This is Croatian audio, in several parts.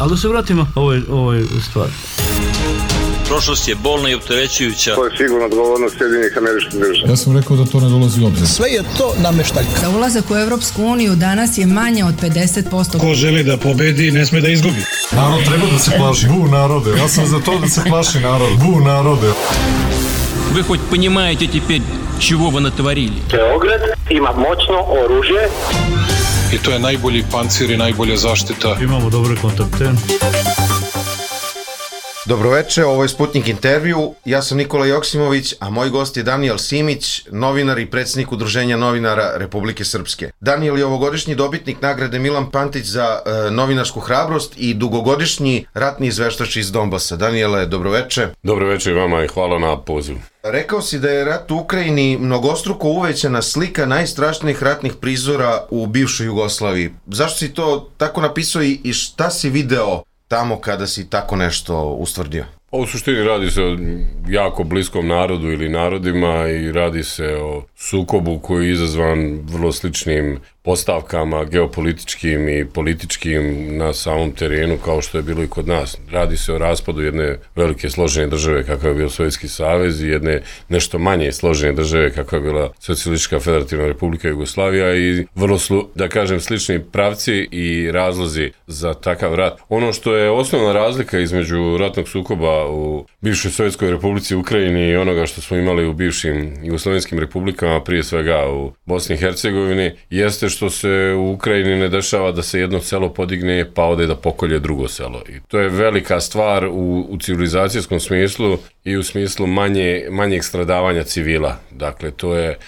Ali da se vratimo ovoj stvari. Prošlost je bolna i opterećujuća. To je sigurno odgovornost Sjedinjenih Američkih Država. Ja sam rekao da to ne dolazi u obzir. Sve je to nameštaljka. Za ulazak u Evropsku uniju danas je manje od 50%. Ko želi da pobedi, ne sme da izgubi. Narod treba da se plaši. Bu narode. Ja sam za to da se plaši narod. Bu narode. Вы хоть понимаете теперь, чего вы натворили? Beograd ima moćno oružje. I to je najbolji pancir i najbolja zaštita. Imamo dobre kontakte. Dobroveče, ovo je Sputnik intervju, ja sam Nikola Joksimović, a moj gost je Danijel Simić, novinar i predsjednik Udruženja novinara Republike Srpske. Danijel je ovogodišnji dobitnik nagrade Milan Pantić za novinarsku hrabrost i dugogodišnji ratni izveštač iz Donbasa. Danijele, dobroveče. Dobroveče vama i hvala na pozivu. Rekao si da je rat u Ukrajini mnogostruko uvećana slika najstrašnijih ratnih prizora u bivšoj Jugoslaviji. Zašto si to tako napisao i šta si video tamo kada si tako nešto ustvrdio? U suštini radi se o jako bliskom narodu ili narodima i radi se o sukobu koji je izazvan vrlo sličnim postavkama geopolitičkim i političkim na samom terenu kao što je bilo i kod nas. Radi se o raspadu jedne velike složene države kakav je bio Sovjetski savez i jedne nešto manje složene države kakva je bila Socijalistička federativna republika Jugoslavija i vrlo da kažem slični pravci i razlozi za takav rat. Ono što je osnovna razlika između ratnog sukoba u bivšoj Sovjetskoj republici Ukrajini i onoga što smo imali u bivšim jugoslovenskim republikama, prije svega u Bosni i Hercegovini, jeste što se u Ukrajini ne dešava da se jedno selo podigne pa ode da pokolje drugo selo. I to je velika stvar u civilizacijskom smislu i u smislu manjeg stradavanja civila. Dakle, to je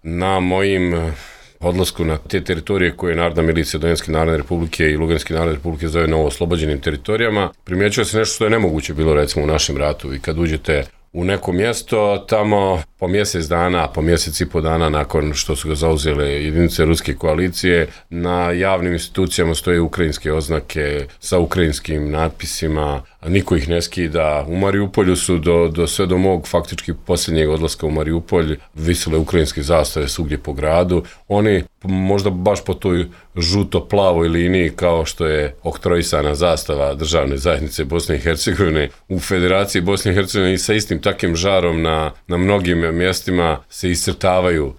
na mojim odlasku na te teritorije koje je Narodna milicija Donjecké narodne republike i Luganske narodne republike zove novo oslobođenim teritorijama, primjećuje se nešto što je nemoguće bilo recimo u našem ratu i kad uđete u neko mjesto, tamo po mjesec dana, po mjesec i po dana nakon što su ga zauzele jedinice ruske koalicije, na javnim institucijama stoje ukrajinske oznake sa ukrajinskim natpisima, niko ih ne skida. U Mariupolju su sve do mog faktički posljednjeg odlaska u Mariupolj visile ukrajinske zastave svugdje po gradu. Oni možda baš po toj žuto-plavoj liniji kao što je oktrojisana zastava državne zajednice Bosne i Hercegovine u Federaciji Bosne i Hercegovine i sa istim takvim žarom na mnogim mjestima se iscrtavaju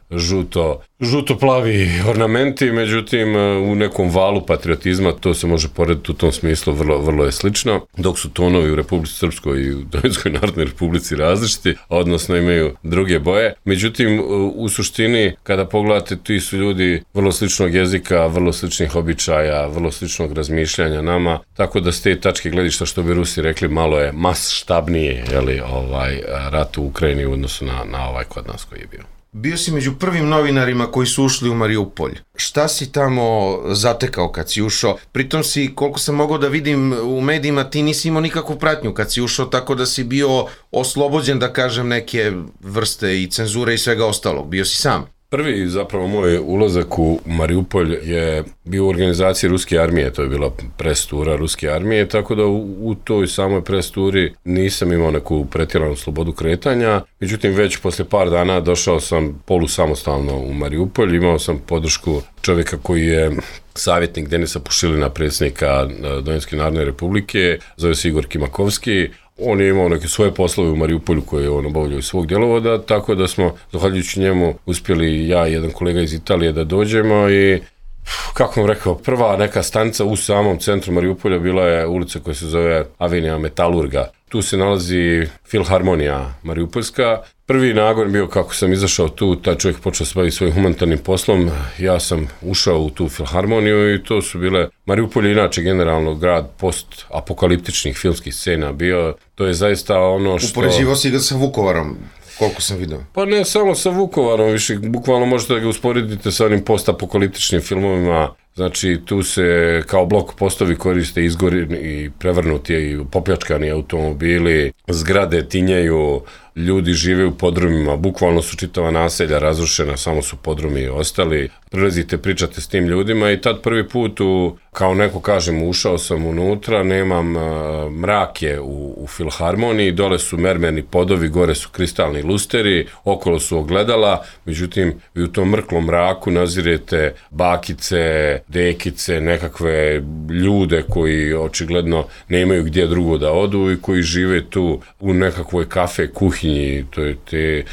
žuto-plavi ornamenti, međutim u nekom valu patriotizma to se može porediti u tom smislu, vrlo je slično, dok su tonovi u Republici Srpskoj i u Donjeckoj narodnoj republici različiti, odnosno imaju druge boje. Međutim, u suštini, kada pogledate, ti su ljudi vrlo sličnog jezika, vrlo sličnih običaja, vrlo sličnog razmišljanja nama, tako da s te tačke gledišta, što bi Rusi rekli, malo je masštabnije rat u Ukrajini u odnosu na ovaj kod nas koji je bio. Bio si među prvim novinarima koji su ušli u Mariupolj. Šta si tamo zatekao kad si ušao? Pritom si, koliko sam mogao da vidim u medijima, ti nisi imao nikakvu pratnju kad si ušao, tako da si bio oslobođen, da kažem, neke vrste i cenzure i svega ostalog. Bio si sam. Prvi zapravo moj ulazak u Mariupolj je bio u organizaciji Ruske armije, to je bila prestura Ruske armije, tako da u toj samoj presturi nisam imao neku pretjeranu slobodu kretanja, međutim već posle par dana došao sam polusamostalno u Mariupolj, imao sam podršku čovjeka koji je savjetnik Denisa Pušilina, predsjednika Donjecké narodne republike, zove se Igor Kimakovski. On je imao neke svoje poslove u Mariupolju koje je on obavljao iz svog djelovoda, tako da smo, zahvaljujući njemu, uspjeli ja i jedan kolega iz Italije da dođemo i, kako vam rekao, prva neka stanica u samom centru Mariupolja bila je ulica koja se zove Avenija Metalurga. Tu se nalazi Filharmonija Mariupoljska. Prvi nagon bio kako sam izašao tu, taj čovjek počeo se baviti svojim humanitarnim poslom, ja sam ušao u tu Filharmoniju i to su bile, Mariupolj je inače generalno grad post-apokaliptičnih filmskih scena bio, to je zaista ono što... Upoređivao si ga sa Vukovarom, koliko sam vidio. Pa ne samo sa Vukovarom, više bukvalno možete da ga usporedite sa onim post-apokaliptičnim filmovima. Znači, tu se kao blok postovi koriste izgoreni i prevrnuti i popljačkani automobili, zgrade tinjaju, ljudi žive u podrumima, bukvalno su čitava naselja razrušena, samo su podrumi ostali. Prilazite, pričate s tim ljudima i tad prvi put, kao neko kažem, ušao sam unutra, nemam mrak je u filharmoniji, dole su mermerni podovi, gore su kristalni lusteri, okolo su ogledala, međutim, vi u tom mrklom mraku nazirete bakice, dekice, nekakve ljude koji očigledno nemaju gdje drugo da odu i koji žive tu u nekakvoj kafe kuhinji, to je te...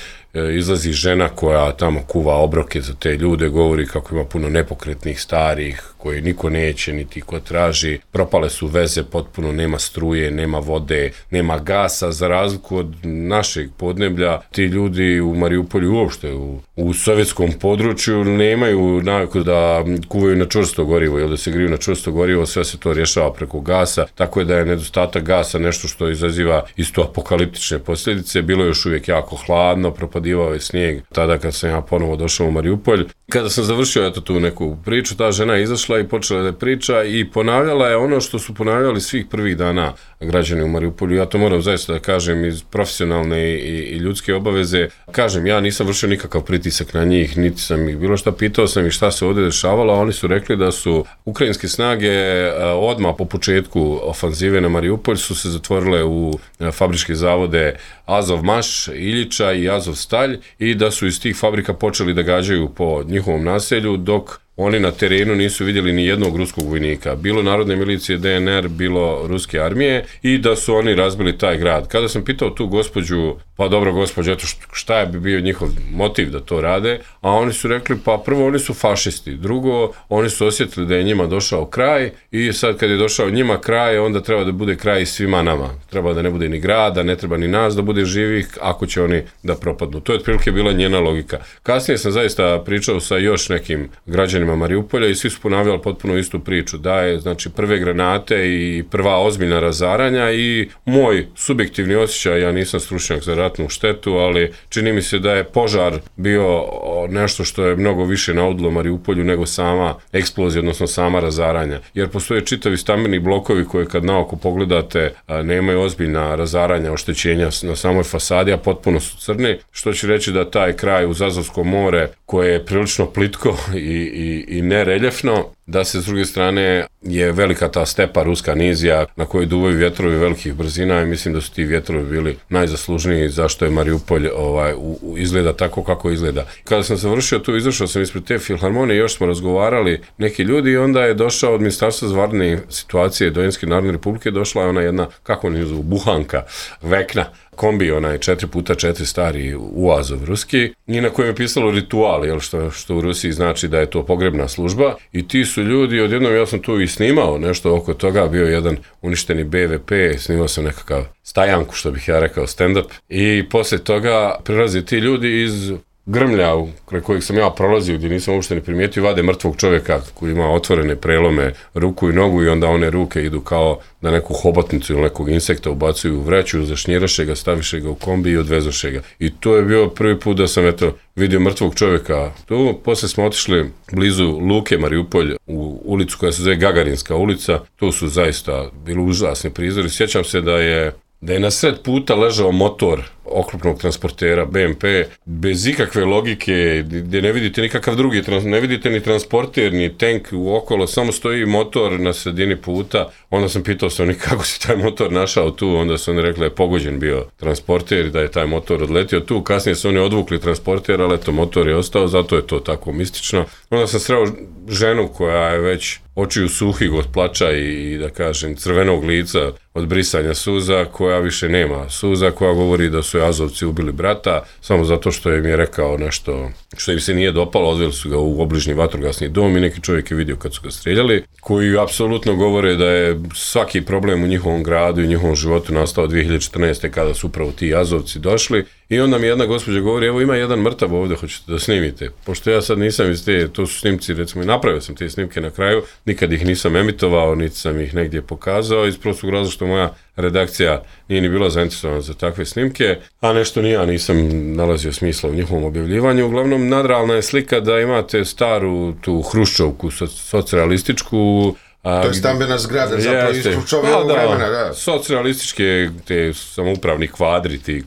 Izlazi žena koja tamo kuva obroke za te ljude, govori kako ima puno nepokretnih starih koje niko neće niti ko traži, propale su veze, potpuno nema struje, nema vode, nema gasa, za razliku od našeg podneblja. Ti ljudi u Mariupolju uopšte u sovjetskom području nemaju naviku da kuvaju na čvrsto gorivo ili da se griju na čvrsto gorivo, sve se to rješava preko gasa, tako je da je nedostatak gasa nešto što izaziva isto apokaliptične posljedice. Bilo je još uvijek jako hladno, propadivao je snijeg tada kad sam ja ponovo došao u Mariupolj. Kada sam završio tu neku priču, ta žena je izašla i počela da priča i ponavljala je ono što su ponavljali svih prvih dana građani u Mariupolju. Ja to moram zaista da kažem iz profesionalne i ljudske obaveze. Kažem, ja nisam vršio nikakav pritisak na njih, niti sam ih bilo šta pitao sam ih šta se ovdje dešavalo, a oni su rekli da su ukrajinske snage odmah po početku ofanzive na Mariupolj su se zatvorile u fabričke zavode Azovmaš, Iljiča i Azovstalj i da su iz tih fabrika počeli da gađaju po njihovom naselju, dok oni na terenu nisu vidjeli ni jednog ruskog vojnika, bilo narodne milicije DNR, bilo ruske armije, i da su oni razbili taj grad. Kada sam pitao tu gospođu, pa dobro gospođo, eto šta je bi bio njihov motiv da to rade, a oni su rekli, pa prvo oni su fašisti, drugo oni su osjetili da je njima došao kraj i sad kad je došao njima kraj, onda treba da bude kraj i svima nama. Treba da ne bude ni grada, ne treba ni nas da bude živih, ako će oni da propadnu. To je otprilike bila njena logika. Kasnije sam zaista pričao sa još nekim građanima Mariupolja i svi su ponavljali potpuno istu priču, da je znači prve granate i prva ozbiljna razaranja i moj subjektivni osjećaj, ja nisam stručnjak za ratnu štetu, ali čini mi se da je požar bio nešto što je mnogo više naudilo Mariupolju nego sama eksplozija, odnosno sama razaranja. Jer postoje čitavi stambeni blokovi koje kad naoko pogledate nemaju ozbiljna razaranja, oštećenja na samoj fasadi, a potpuno su crni, što će reći da taj kraj uz Azovsko more, koje je prilično plitko i nereljefno, da se s druge strane je velika ta stepa ruska nizija na kojoj duvaju vjetrovi velikih brzina i mislim da su ti vjetrovi bili najzaslužniji zašto je Mariupolj izgleda tako kako izgleda. Kada sam završio tu, izašao sam ispred te filharmonije, još smo razgovarali neki ljudi i onda je došao od Ministarstva za vanredne situacije Dojenske Narodne Republike, došla je ona jedna, kako oni zovu, buhanka, vekna, kombi, onaj 4x4 stari uazov ruski, i na kojem je pisalo ritual, jel, što u Rusiji znači da je to pogrebna služba, i ti su ljudi, odjednom ja sam tu i snimao nešto oko toga, bio jedan uništeni BVP, snimao sam nekakav stajanku, što bih ja rekao, stand-up, i poslije toga prilaze ti ljudi iz grmlja kraj kojeg sam ja prolazio, gdje nisam uopšte ni primijetio, vade mrtvog čovjeka koji ima otvorene prelome ruku i nogu i onda one ruke idu kao da neku hobotnicu ili nekog insekta ubacuju u vreću, zašnjiraše ga, staviše ga u kombi i odvezoše ga. I to je bio prvi put da sam vidio mrtvog čovjeka tu. Poslije smo otišli blizu Luke Mariupolj u ulicu koja se zove Gagarinska ulica. Tu su zaista bili užasni prizori. Sjećam se da je na sred puta ležao motor oklopnog transportera BMP bez ikakve logike, gdje ne vidite nikakav drugi, ne vidite ni transporter, ni tank uokolo, samo stoji motor na sredini puta. Onda sam pitao se oni kako si taj motor našao tu, onda su oni rekli da je pogođen bio transporter i da je taj motor odletio tu. Kasnije su oni odvukli transporter, ali eto, motor je ostao, zato je to tako mistično. Onda sam sreo ženu koja je već očiju suhih od plača i da kažem crvenog lica od brisanja suza, koja više nema suza, koja govori da su Azovci ubili brata samo zato što im je rekao nešto što im se nije dopalo, odveli su ga u obližnji vatrogasni dom i neki čovjek je vidio kad su ga streljali, koji apsolutno govore da je svaki problem u njihovom gradu i njihovom životu nastao 2014. kada su upravo ti Azovci došli. I onda mi jedna gospođa govori, evo ima jedan mrtav ovdje, hoćete da snimite. Pošto ja sad nisam iz to su snimci, recimo, i napravio sam te snimke na kraju, nikad ih nisam emitovao, niti sam ih negdje pokazao, iz prostog razloga što moja redakcija nije ni bila zainteresovana za takve snimke, a nešto ni ja nisam nalazio smisla u njihovom objavljivanju. Uglavnom, nadrealna je slika da imate staru tu hruščovku socijalističku, To je stambena zgrada, zapravo iz čovjevog vremena, da. Socijalističke, te samoupravni kvadriti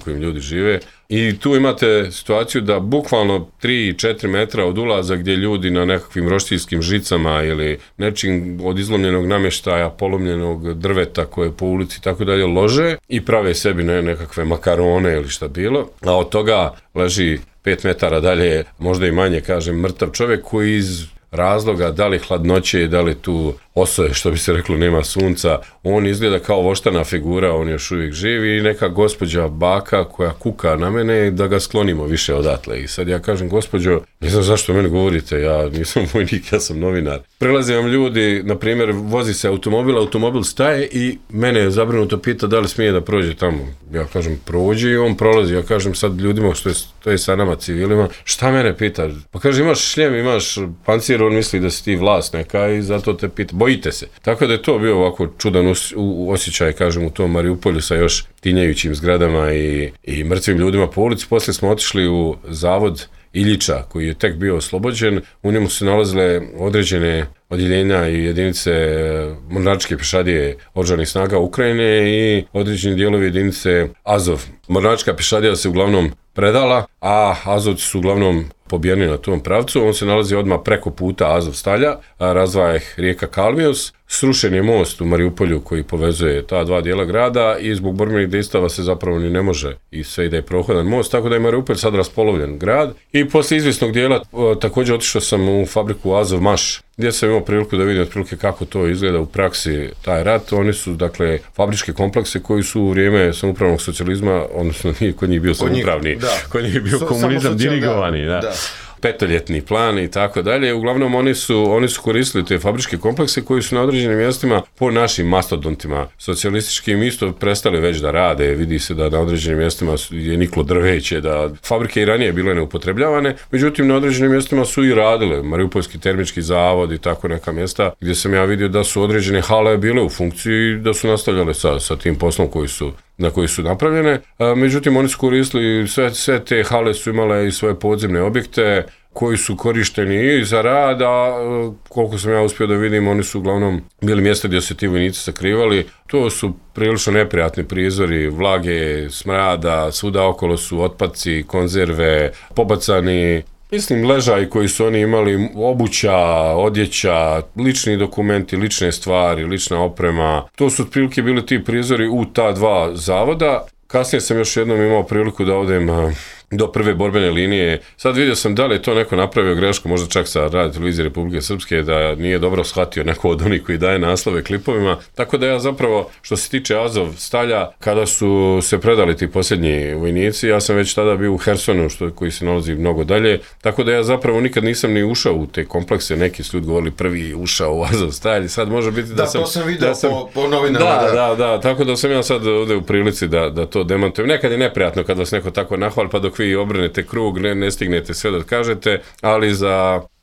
kojim ljudi žive. I tu imate situaciju da bukvalno 3-4 metra od ulaza gdje ljudi na nekakvim roštilskim žicama ili nečim od izlomljenog namještaja, polomljenog drveta koje po ulici i tako dalje lože i prave sebi nekakve makarone ili šta bilo, a od toga leži 5 metara dalje, možda i manje, kažem, mrtav čovjek koji iz razloga, da li hladnoće, da li tu osoje, što bi se reklo, nema sunca, on izgleda kao voštana figura, on još uvijek živi i neka gospođa baka koja kuka na mene da ga sklonimo više odatle. I sad ja kažem, gospođo, ne znam zašto meni govorite, ja nisam vojnik, ja sam novinar. Prelaze vam ljudi, na primjer, vozi se automobil staje i mene zabrinuto pita da li smije da prođe tamo. Ja kažem, prođe i on prolazi. Ja kažem sad ljudima što je sa nama civilima, šta mene pita? Pa kaže, imaš šljem, imaš pancir, on misli da si ti vlast neka i zato te pita. Bojite se. Tako da je to bio ovako čudan osjećaj, kažem, u tom Mariupolju sa još tinjajućim zgradama i mrtvim ljudima po ulici. Poslije smo otišli u zavod Iljiča, koji je tek bio oslobođen. U njemu su nalazile određene odjeljenja i jedinice mornaričke pješadije oružanih snaga Ukrajine i određeni dijelovi jedinice Azov. Mornarička pješadija se uglavnom predala, a Azovci su uglavnom pobijeni na tom pravcu. On se nalazi odmah preko puta Azovstalja, razdvaja ih rijeka Kalmius. Srušen je most u Mariupolju koji povezuje ta dva dijela grada i zbog borbenih dejstava se zapravo ni ne može i sve ide prohodan most, tako da je Mariupolj sad raspolovljen grad. I poslije izvjesnog dijela također otišao sam u fabriku Azov Maš, gdje sam imao priliku da vidim otprilike kako to izgleda u praksi taj rat. Oni su, dakle, fabričke komplekse koji su u vrijeme samoupravnog socijalizma, odnosno nije kod njih bio samoupravni, kod njih je bio komunizam dirigovani, da. Petoljetni plan i tako dalje. Uglavnom oni su koristili te fabričke komplekse koji su na određenim mjestima po našim mastodontima socijalističkim isto prestali već da rade. Vidi se da na određenim mjestima je niklo drveće, da fabrike i ranije bile neupotrebljavane, međutim na određenim mjestima su i radile. Mariupolski termički zavod i tako neka mjesta gdje sam ja vidio da su određene hale bile u funkciji i da su nastavljale sa tim poslom na koji su napravljene. Međutim, oni su koristili, sve te hale su imale i svoje podzemne objekte koji su korišteni i za rad, a koliko sam ja uspio da vidim, oni su uglavnom bili mjesta gdje se ti vojnici sakrivali. To su prilično neprijatni prizori, vlage, smrada, svuda okolo su otpaci, konzerve, pobacani, mislim, ležaj koji su oni imali, obuća, odjeća, lični dokumenti, lične stvari, lična oprema. To su otprilike bili ti prizori u ta dva zavoda. Kasnije sam još jednom imao priliku da odem do prve borbene linije. Sad vidio sam da li je to neko napravio grešku, možda čak sa Radio televizije Republike Srpske, da nije dobro shvatio neko od onih koji daje naslove klipovima. Tako da ja zapravo, što se tiče Azovstalja, kada su se predali ti posljednji vojnici, ja sam već tada bio u Hersonu, koji se nalazi mnogo dalje. Tako da ja zapravo nikad nisam ni ušao u te komplekse. Neki su ljudi govorili prvi ušao u Azovstalj. Sad može biti da sam... Da, to sam vidio po novinama. Da. Tako da sam ja sad ovdje u prilici da to demantujem. Nekad je neprijatno kad vas neko tako nahvali, pa dok vi obrenete krug, ne stignete sve da kažete, ali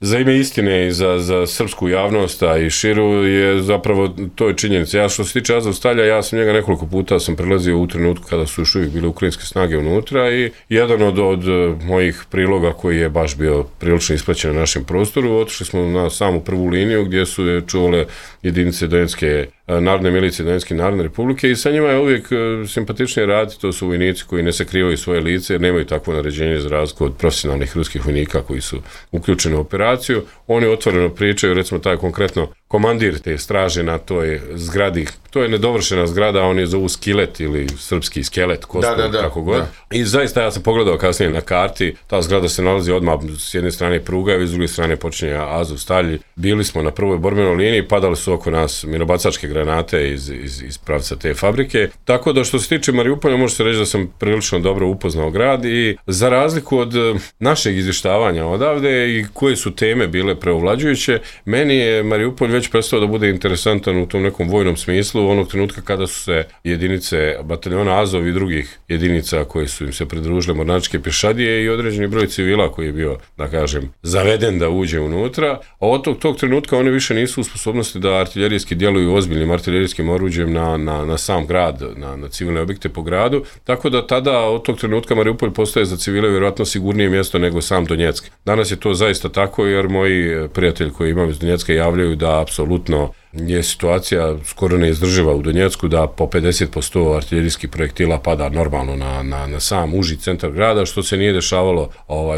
za ime istine i za srpsku javnost, a i širu je zapravo to je činjenica. Ja što se tiče Azovstalja, ja sam njega nekoliko puta sam prelazio u trenutku kada su još uvijek bile ukrajinske snage unutra i jedan od mojih priloga koji je baš bio prilično isplaćen na našem prostoru, otišli smo na samu prvu liniju gdje su je čuvale jedinice Donetske narodne milicije Donetske narodne republike i sa njima je uvijek simpatičnije raditi. To su vojnici koji ne sakrivaju svoje lice jer nemaju takvo naređenje za razliku od profesionalnih ruskih vojnika koji su uključeni u operaciju. Oni otvoreno pričaju, recimo taj konkretno komandir te straže na toj zgradi, to je nedovršena zgrada, on je zovu Skilet ili srpski skelet, kako god. I zaista ja sam pogledao kasnije na karti, ta zgrada se nalazi odmah s jedne strane pruga i s druge strane počinje Azovstalj. Bili smo na prvoj borbenoj liniji, padali su oko nas minobacačke granate iz pravca te fabrike. Tako da što se tiče Mariupolja, može se reći da sam prilično dobro upoznao grad i za razliku od našeg izvještavanja odavde i koje su teme bile preovlađujuće, meni je Mariupolj već prestao da bude interesantan u tom nekom vojnom smislu onog trenutka kada su se jedinice bataljona Azov i drugih jedinica koje su im se pridružile mornaričke pješadije i određeni broj civila koji je bio, da kažem, zaveden da uđe unutra, a od tog trenutka oni više nisu u sposobnosti da artiljerijski djeluju ozbiljnim artiljerijskim oruđem na sam grad, na civilne objekte po gradu, tako da tada od tog trenutka Mariupolj postaje za civile vjerojatno sigurnije mjesto nego sam Donjeck. Danas je to zaista tako jer moji prijatelji koji imam iz Donjecka javljaju da apsolutno je situacija skoro neizdrživa u Donjecku, da po 50% artiljerijskih projektila pada normalno na sam uži centar grada, što se nije dešavalo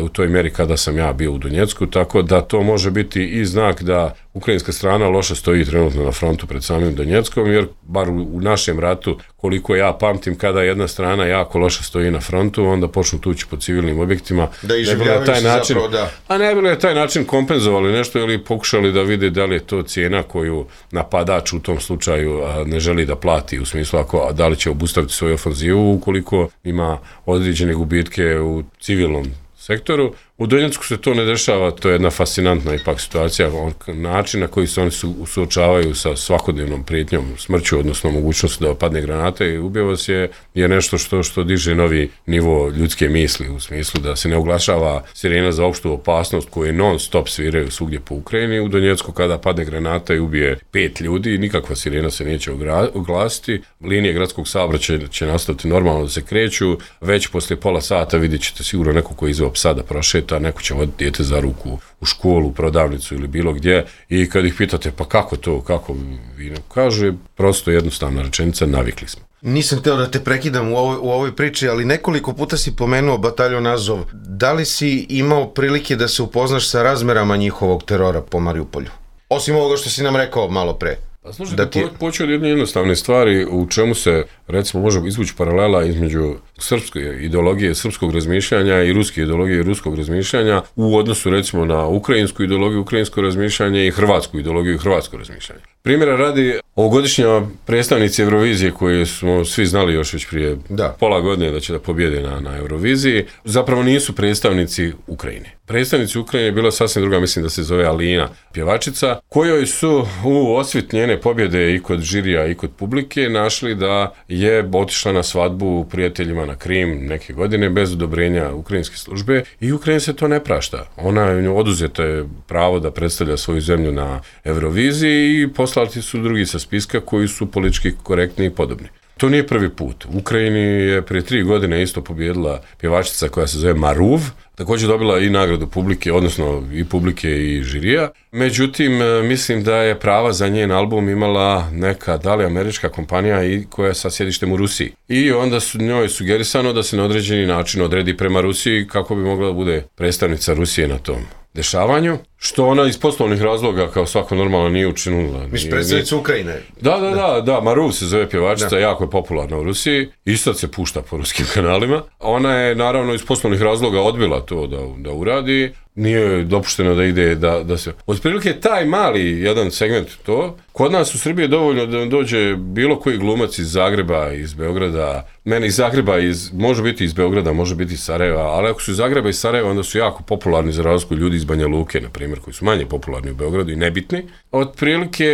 u toj mjeri kada sam ja bio u Donjecku, tako da to može biti i znak da ukrajinska strana loše stoji trenutno na frontu pred samim Donjeckom, jer bar u našem ratu, koliko ja pamtim, kada jedna strana jako loše stoji na frontu, onda počnu tući po civilnim objektima. Da iživljavaju se zapravo, da. A ne bi li taj način kompenzovali nešto ili pokušali da vide da li je to cijena koju napadač u tom slučaju ne želi da plati, u smislu da li će obustaviti svoju ofanzivu ukoliko ima određene gubitke u civilnom sektoru. U Donjecku se to ne dešava, to je jedna fascinantna ipak situacija, način na koji se oni suočavaju sa svakodnevnom prijetnjom smrću, odnosno mogućnosti da padne granata i ubije vas je nešto što diže novi nivo ljudske misli, u smislu da se ne oglašava sirena za opštu opasnost koje non stop sviraju svugdje po Ukrajini. U Donjecku kada padne granata i ubije 5 ljudi, nikakva sirena se neće oglasiti, linije gradskog saobraćaja će nastaviti normalno da se kreću, već poslije pola sata vidjet ćete sigurno neko koji izveo psa da prošeta, neko će voditi dijete za ruku u školu, u prodavnicu ili bilo gdje, i kad ih pitate pa kako to, kako vi, kaže prosto jednostavna rečenica, navikli smo. Nisam htio da te prekidam u ovoj priči, ali nekoliko puta si pomenuo bataljon Azov. Da li si imao prilike da se upoznaš sa razmerama njihovog terora po Mariupolju? Osim ovoga što si nam rekao malo pre. Pa slušajte, počeo od jedne jednostavne stvari u čemu se, recimo, može izvući paralela između srpske ideologije, srpskog razmišljanja i ruske ideologije i ruskog razmišljanja u odnosu, recimo, na ukrajinsku ideologiju, ukrajinsko razmišljanje i hrvatsku ideologiju i hrvatsko razmišljanje. Primjera radi, ovogodišnja predstavnici Eurovizije koje smo svi znali još već prije pola godine da će da pobjede na Euroviziji, zapravo nisu predstavnici Ukrajine. Predstavnici Ukrajine je bila sasvim druga, mislim da se zove Alina, pjevačica, kojoj su u osvit njene pobjede i kod žirija i kod publike našli da je otišla na svadbu prijateljima na Krim neke godine bez odobrenja ukrajinske službe i Ukrajina se to ne prašta. Ona oduzeta je pravo da predstavlja svoju zemlju na Euroviziji i poslati su drugi sa spiska koji su politički korektni i podobni. To nije prvi put. U Ukrajini je prije 3 godine isto pobjedila pjevačica koja se zove Maruv, također dobila i nagradu publike, odnosno i publike i žirija. Međutim, mislim da je prava za njen album imala neka, da li američka kompanija i koja je sa sjedištem u Rusiji. I onda su njoj sugerisano da se na određeni način odredi prema Rusiji kako bi mogla da bude predstavnica Rusije na tom dešavanju, što ona iz poslovnih razloga kao svako normalno nije učinila. Miš predstavnica Ukrajine. Da, Maruv se zove pjevačica, jako je popularna u Rusiji i sad se pušta po ruskim kanalima. Ona je naravno iz poslovnih razloga odbila to da uradi, nije dopušteno da ide da se... Otprilike taj mali jedan segment to, kod nas u Srbiji je dovoljno da dođe bilo koji glumac iz Zagreba, iz Beograda, meni iz Zagreba, može biti iz Beograda, može biti iz Sarajeva, ali ako su iz Zagreba i iz Sarajeva, onda su jako popularni za razliku ljudi iz Banja Luke, na primjer, koji su manje popularni u Beogradu i nebitni. Otprilike,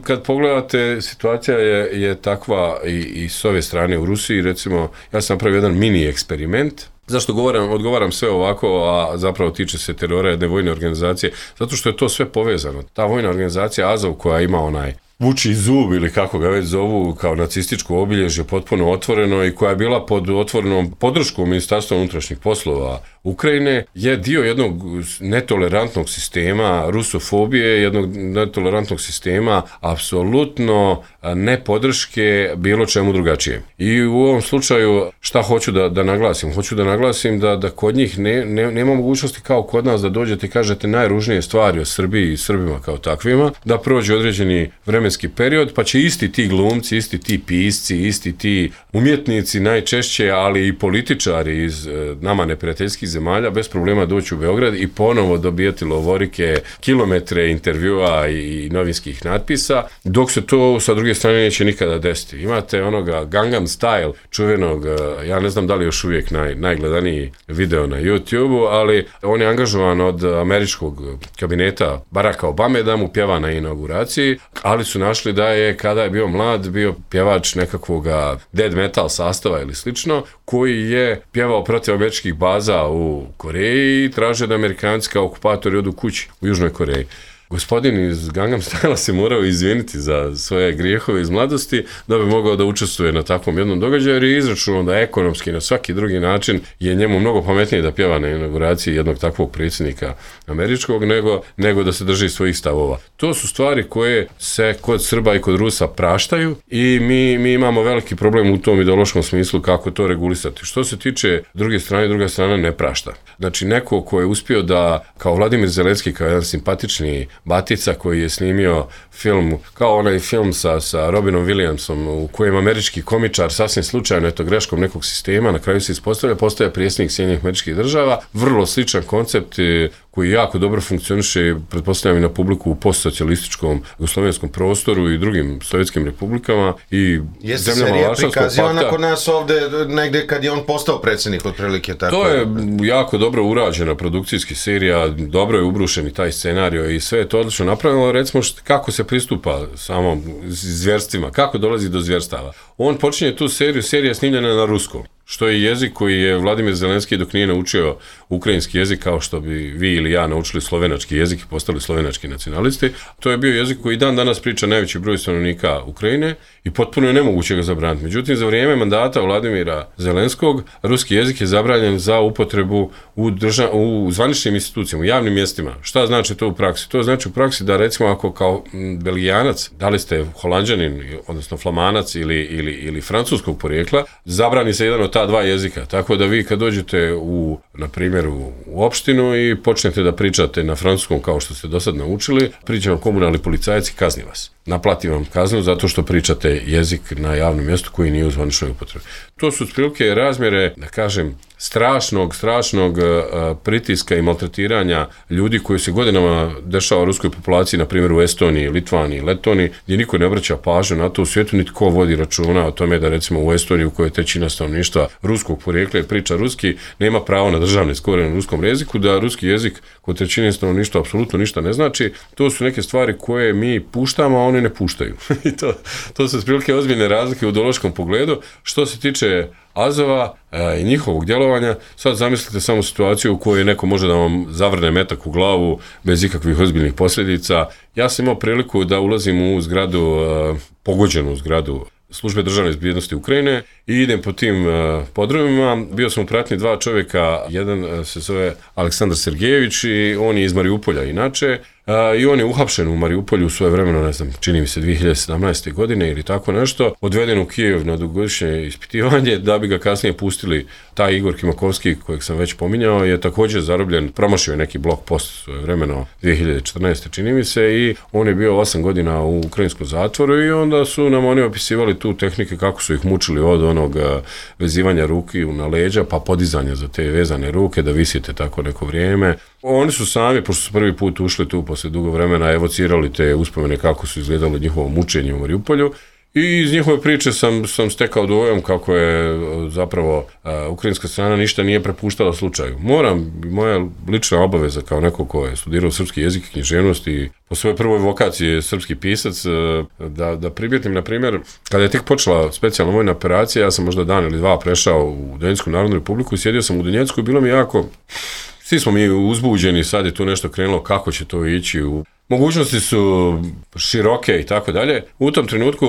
kad pogledate, situacija je takva i s ove strane u Rusiji, recimo, ja sam napravio jedan mini eksperiment. Zašto odgovaram sve ovako, a zapravo tiče se terora jedne vojne organizacije? Zato što je to sve povezano. Ta vojna organizacija Azov koja ima onaj vuči zub ili kako ga već zovu kao nacističko obilježje potpuno otvoreno i koja je bila pod otvorenom podrškom Ministarstva unutrašnjih poslova Ukrajine, je dio jednog netolerantnog sistema rusofobije, jednog netolerantnog sistema apsolutno nepodrške bilo čemu drugačijem. I u ovom slučaju šta hoću da naglasim? Hoću da naglasim da kod njih nema mogućnosti kao kod nas da dođete i kažete najružnije stvari o Srbiji i Srbima kao takvima, da prođe određeni vremenski period, pa će isti ti glumci, isti ti pisci, isti ti umjetnici najčešće, ali i političari iz nama neprijateljskih zemalja bez problema doći u Beograd i ponovo dobijati lovorike, kilometre intervjua i novinskih natpisa, dok se to sa druge strane neće nikada desiti. Imate onoga Gangnam Style, čuvenog, ja ne znam da li još uvijek najgledaniji video na YouTube-u, ali on je angažovan od američkog kabineta Baracka Obame da mu pjeva na inauguraciji, ali su našli da je, kada je bio mlad, bio pjevač nekakvog dead metal sastava ili slično, koji je pjevao protiv američkih baza u Koreji i traže da Amerikanci kao okupatori odu kući u Južnoj Koreji. gospodin iz Gangnam Styla se morao izviniti za svoje grijehove iz mladosti da bi mogao da učestvuje na takvom jednom događaju, jer je izračunao da ekonomski na svaki drugi način je njemu mnogo pametnije da pjeva na inauguraciji jednog takvog predsjednika američkog nego da se drži svojih stavova. To su stvari koje se kod Srba i kod Rusa praštaju i mi imamo veliki problem u tom ideološkom smislu kako to regulisati. Što se tiče druge strane, druga strana ne prašta. Znači neko ko je uspio da, kao Vladimir Zelenski, kao jedan simpatični batica koji je snimio film, kao onaj film sa Robinom Williamsom u kojem američki komičar sasvim slučajno, eto greškom nekog sistema, na kraju se ispostavlja, postaje predsjednik Sjedinjenih Američkih Država, vrlo sličan koncept koji jako dobro funkcioniše, pretpostavljam i na publiku u postsocijalističkom jugoslovenskom prostoru i drugim sovjetskim republikama i jeste zemljama serija Varšavskog prikazivana pakta. kod nas ovde negde kad je on postao predsjednik otprilike tako. To je jako dobro urađena produkcijski serija, dobro je ubrušen i taj scenario i sve je to odlično napravljeno, recimo kako se pristupa samom zvjerstvima, kako dolazi do zvjerstava. On počinje tu seriju, serija je snimljena na ruskom, što je jezik koji je Vladimir Zelenski dok nije naučio ukrajinski jezik kao što bi vi ili ja naučili slovenački jezik i postali slovenački nacionalisti. To je bio jezik koji dan danas priča najveći broj stanovnika Ukrajine i potpuno je nemoguće ga zabraniti. Međutim, za vrijeme mandata Vladimira Zelenskog ruski jezik je zabranjen za upotrebu u zvaničnim institucijama, u javnim mjestima. Šta znači to u praksi? To znači u praksi da recimo ako kao Belgijanac, da li ste Holanđanin, odnosno Flamanac ili francuskog porijekla, zabrani se jedan od ta dva jezika. Tako da vi kad dođete na primjer u opštinu i počnete da pričate na francuskom kao što ste do sad naučili, priča vam komunalni policajac i kazni vas. Naplati vam kaznu zato što pričate jezik na javnom mjestu koji nije u zvaničnoj upotrebi. To su otprilike razmjere, da kažem, strašnog pritiska i maltretiranja ljudi koji se godinama dešava ruskoj populaciji, na primjer u Estoniji, Litvaniji, Letoniji, gdje niko ne obraća pažnju na to u svijetu, niti ko vodi računa o tome da recimo u Estoniji u kojoj trećina stanovništva ruskog porijekla priča ruski, nema pravo na državne skore na ruskom jeziku, da ruski jezik kod trećine stanovništva apsolutno ništa ne znači. To su neke stvari koje mi puštamo, a oni ne puštaju. I to su otprilike ozbiljne razlike u ideološkom pogledu. Što se tiče Azova i njihovog djelovanja, sad zamislite samo situaciju u kojoj neko može da vam zavrne metak u glavu bez ikakvih ozbiljnih posljedica. Ja sam imao priliku da ulazim u zgradu, pogođenu zgradu Službe državne bezbjednosti Ukrajine i idem po tim podrumima. Bio sam u pratnji dva čovjeka, jedan se zove Aleksandar Sergejević i on je iz Mariupolja inače. I on je uhapšen u Mariupolju u svoje vremeno, ne znam, čini mi se 2017. godine ili tako nešto, odveden u Kijev na dugogodišnje ispitivanje da bi ga kasnije pustili. Taj Igor Kimakovski, kojeg sam već pominjao, je također zarobljen, promašio je neki blog post svoje vremeno 2014. čini mi se i on je bio 8 godina u ukrajinskom zatvoru i onda su nam oni opisivali tu tehnike kako su ih mučili od onog vezivanja ruki na leđa pa podizanja za te vezane ruke da visite tako neko vrijeme. Oni su sami, pošto su prvi put ušli tu poslije dugo vremena, evocirali te uspomene kako su izgledali njihovo mučenje u Mariupolju i iz njihove priče sam stekao dojam kako je zapravo ukrajinska strana ništa nije prepuštala slučaju. Moja lična obaveza kao neko ko je studirao srpski jezik i književnost i po svojoj prvoj vokaciji je srpski pisac, da primjetim, na primjer, kada je tek počela specijalna vojna operacija, ja sam možda dan ili dva prešao u Donjecku narodnu republiku i sjedio sam u Donjecku i bilo mi jako... Svi smo mi uzbuđeni, sad je tu nešto krenulo, kako će to ići, mogućnosti su široke i tako dalje. U tom trenutku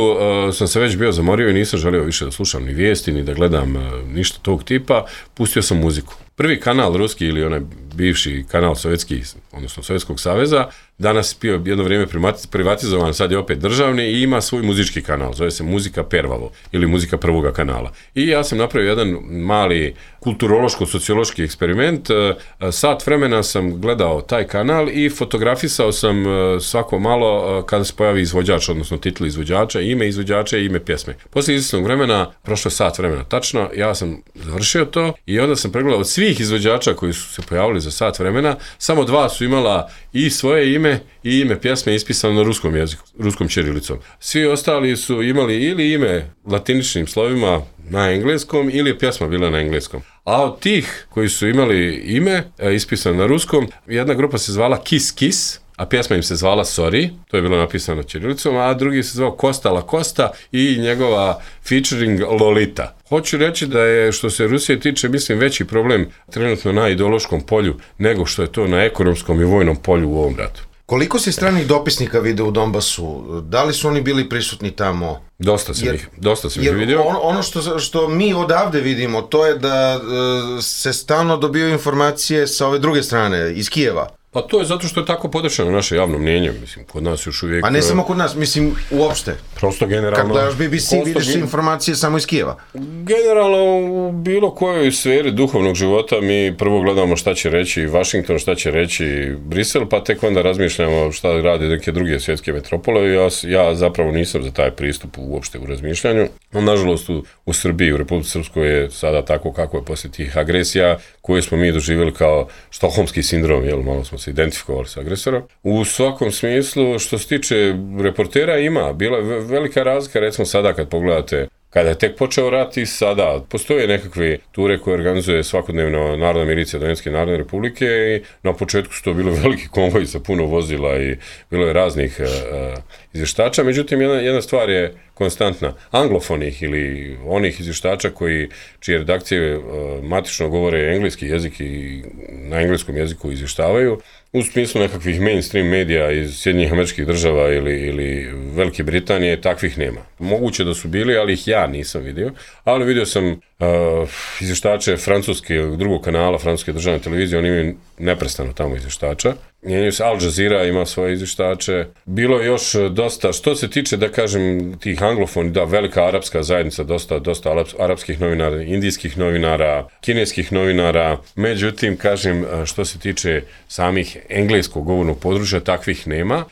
sam se već bio zamorio i nisam želio više da slušam ni vijesti, ni da gledam ništa tog tipa, pustio sam muziku. Prvi kanal ruski ili onaj bivši kanal sovjetski, odnosno Sovjetskog saveza, danas bio jedno vrijeme privatizovan, sad je opet državni i ima svoj muzički kanal, zove se Muzika Pervalo ili Muzika prvoga kanala. I ja sam napravio jedan mali kulturološko-sociološki eksperiment, sat vremena sam gledao taj kanal i fotografisao sam svako malo kada se pojavi izvođač, odnosno titl izvođača, ime izvođača i ime pjesme. Poslije izvjesnog vremena, prošlo sat vremena tačno, ja sam završio to i onda sam pregledao od svih izvođača koji su se pojavili za sat vremena, samo dva su imala i svoje ime i ime pjesme ispisano na ruskom jeziku, ruskom ćirilicom. Svi ostali su imali ili ime latiničnim slovima na engleskom ili je pjesma bila na engleskom. A od tih koji su imali ime ispisano na ruskom, jedna grupa se zvala Kiss Kiss, a pjesma im se zvala Sorry, to je bilo napisano ćirilicom, a drugi se zvao Costa La Costa i njegova featuring Lolita. Hoću reći da je, što se Rusije tiče, mislim, veći problem trenutno na ideološkom polju nego što je to na ekonomskom i vojnom polju u ovom ratu. Koliko si stranih dopisnika vide u Donbasu? Da li su oni bili prisutni tamo? Dosta sam ih vidio. Ono što mi odavde vidimo, to je da se stalno dobiju informacije sa ove druge strane, iz Kijeva. Pa to je zato što je tako podešeno naše javno mnjenje, mislim, kod nas još uvijek... A ne samo kod nas, mislim, uopšte. Prosto generalno... Kad gledaš BBC, vidiš informacije samo iz Kijeva. Generalno, u bilo kojoj sferi duhovnog života mi prvo gledamo šta će reći Washington, šta će reći Brisel, pa tek onda razmišljamo šta rade neke druge svjetske metropole. Ja zapravo nisam za taj pristup uopšte u razmišljanju. Nažalost, u Srbiji, u Republici Srpskoj je sada tako kako je poslije tih agresija koje smo mi doživjeli kao štokholmski sindrom, jel, malo smo se identifikovali sa agresorom. U svakom smislu, što se tiče reportera, bila je velika razlika, recimo sada kad pogledate, kada je tek počeo rat i sada postoje nekakve ture koje organizuje svakodnevno Narodna milicija Donetske Narodne Republike i na početku su to bili veliki konvoji sa puno vozila i bilo je raznih izvještača, međutim jedna stvar je konstantna. Anglofonih ili onih izvještača čije redakcije matično govore engleski jezik i na engleskom jeziku izvještavaju, u smislu nekakvih mainstream medija iz Sjedinjenih Američkih Država ili Velike Britanije, takvih nema. Moguće da su bili, ali ih ja nisam vidio, ali vidio sam izvještače drugog kanala francuske državne televizije, oni imaju neprestano tamo izvještača. Al Jazeera ima svoje izvještače. Bilo je još dosta, što se tiče, da kažem, tih anglofoni, da, velika arapska zajednica, dosta arapskih novinara, indijskih novinara, kineskih novinara, međutim, kažem, što se tiče samih engleskog govornog područja, takvih nema.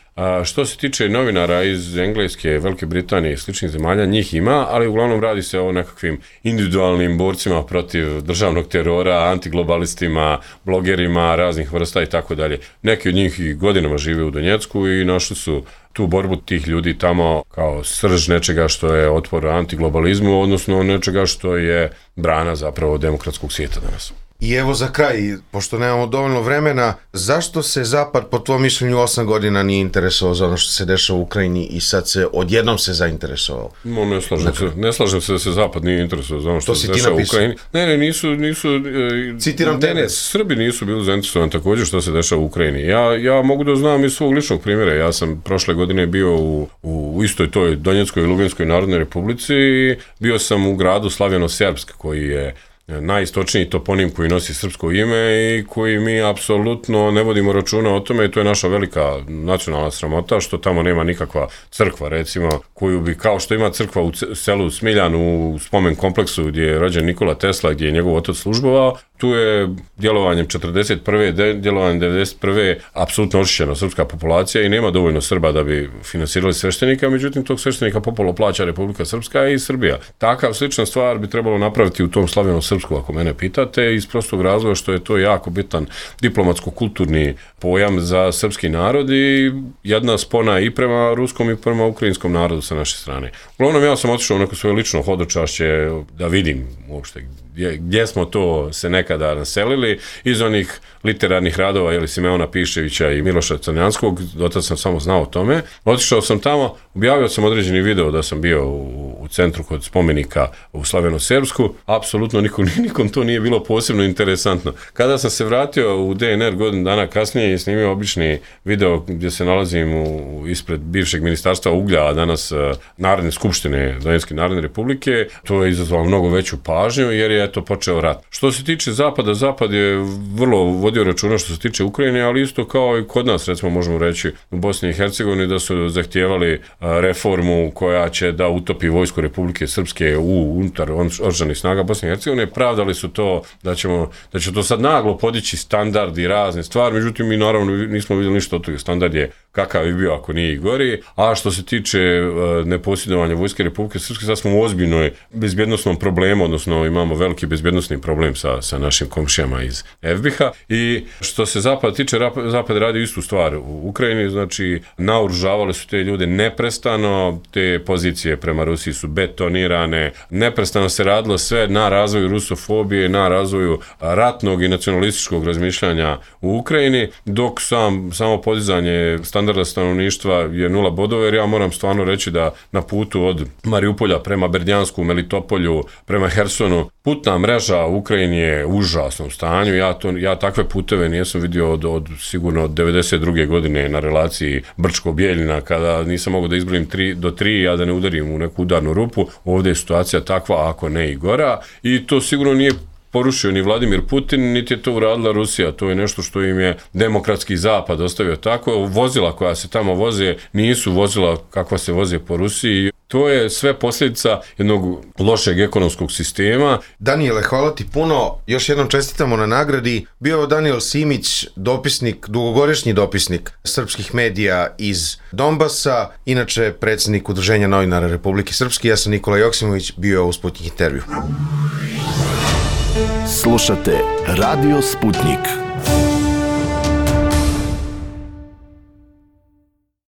Što se tiče novinara iz Engleske, Velike Britanije i sličnih zemalja, njih ima, ali uglavnom radi se o nekakvim individualnim borcima protiv državnog terora, antiglobalistima, blogerima raznih vrsta i tako dalje. Neki od njih i godinama žive u Donjecku i našli su tu borbu tih ljudi tamo kao srž nečega što je otpor antiglobalizmu, odnosno nečega što je brana zapravo demokratskog svijeta danas. I evo za kraj, pošto nemamo dovoljno vremena, zašto se Zapad, po tvojom mišljenju, 8 godina nije interesovao za ono što se dešava u Ukrajini i sad se odjednom se zainteresovao? Ne slažem se da se Zapad nije interesovao za ono što se dešava u Ukrajini. Ne, nisu... Citiram tebe. Srbi nisu bili zainteresovani također što se dešava u Ukrajini. Ja mogu da znam iz svog ličnog primjera. Ja sam prošle godine bio u istoj toj Donjeckoj i Luganskoj Narodnoj Republici i bio sam u gradu Slavjano-Serbsk, koji je najistočniji toponim koji nosi srpsko ime i koji mi apsolutno ne vodimo računa o tome i to je naša velika nacionalna sramota što tamo nema nikakva crkva, recimo, koju bi, kao što ima crkva u selu Smiljan u spomen kompleksu gdje je rođen Nikola Tesla, gdje je njegov otac službovao, tu je djelovanjem 41. djelovanjem 91. apsolutno očišćena srpska populacija i nema dovoljno Srba da bi finansirali sveštenika, međutim tog sveštenika popolo plaća Republika Srpska i Srbija. Takav slična stvar bi trebalo napraviti u tom Slavjano-Srpsku, ako mene pitate, iz prostog razloga što je to jako bitan diplomatsko-kulturni pojam za srpski narod i jedna spona i prema ruskom i prema ukrajinskom narodu sa naše strane. Uglavnom, ja sam otišao u neko svoje lično hodočašće da vidim uopšte gdje smo to se nekada naselili, iz onih literarnih radova Simeona Piševića i Miloša Crnjanskog, dotad sam samo znao o tome. Otišao sam tamo, objavio sam određeni video da sam bio u centru kod spomenika u Slavjano-Serbsku, apsolutno nikom to nije bilo posebno interesantno. Kada sam se vratio u DNR godinu dana kasnije i snimio obični video gdje se nalazim ispred bivšeg ministarstva uglja, a danas Narodne skupštine Donetske Narodne Republike, to je izazvalo mnogo veću pažnju jer je počeo rat. Što se tiče Zapada, Zapad je vrlo vodio računa što se tiče Ukrajine, ali isto kao i kod nas, recimo možemo reći u Bosni i Hercegovini da su zahtijevali reformu koja će da utopi vojsku Republike Srpske unutar oružanih snaga Bosne i Hercegovine. Pravdali su to da će to sad naglo podići standard i razne stvari, međutim mi naravno nismo vidjeli ništa od toga. Standard je kakav je bio ako nije i gori, a što se tiče neposjedovanja vojske Republike Srpske, sad smo u ozbiljnoj bezbjednosnom problemu, odnosno imamo veliki bezbjednosni problem sa našim komšijama iz FBH-a i što se Zapada tiče, Zapad radi istu stvar u Ukrajini, znači naoružavali su te ljude neprestano, te pozicije prema Rusiji su betonirane, neprestano se radilo sve na razvoju rusofobije, na razvoju ratnog i nacionalističkog razmišljanja u Ukrajini, dok samo podizanje standarda standarda stanovništva je 0 bodova, jer ja moram stvarno reći da na putu od Mariupolja prema Berdjansku, Melitopolju, prema Hersonu, putna mreža u Ukrajini je u užasnom stanju. Ja takve puteve nisam vidio od sigurno od 92. godine na relaciji Brčko-Bijeljina, kada nisam mogao da izbrojim 3 do 3, a da ne udarim u neku udarnu rupu. Ovdje je situacija takva, ako ne i gora, i to sigurno nije porušio ni Vladimir Putin, niti je to uradila Rusija. To je nešto što im je demokratski zapad ostavio tako. Vozila koja se tamo voze nisu vozila kakva se voze po Rusiji. To je sve posljedica jednog lošeg ekonomskog sistema. Danijele, hvala ti puno. Još jednom čestitamo na nagradi. Bio je Danijel Simić, dopisnik, dugogodišnji dopisnik srpskih medija iz Donbasa, inače predsjednik Udruženja novinara Republike Srpske. Ja sam Nikola Joksimović, bio u Sputnik intervju. Slušate Radio Sputnik.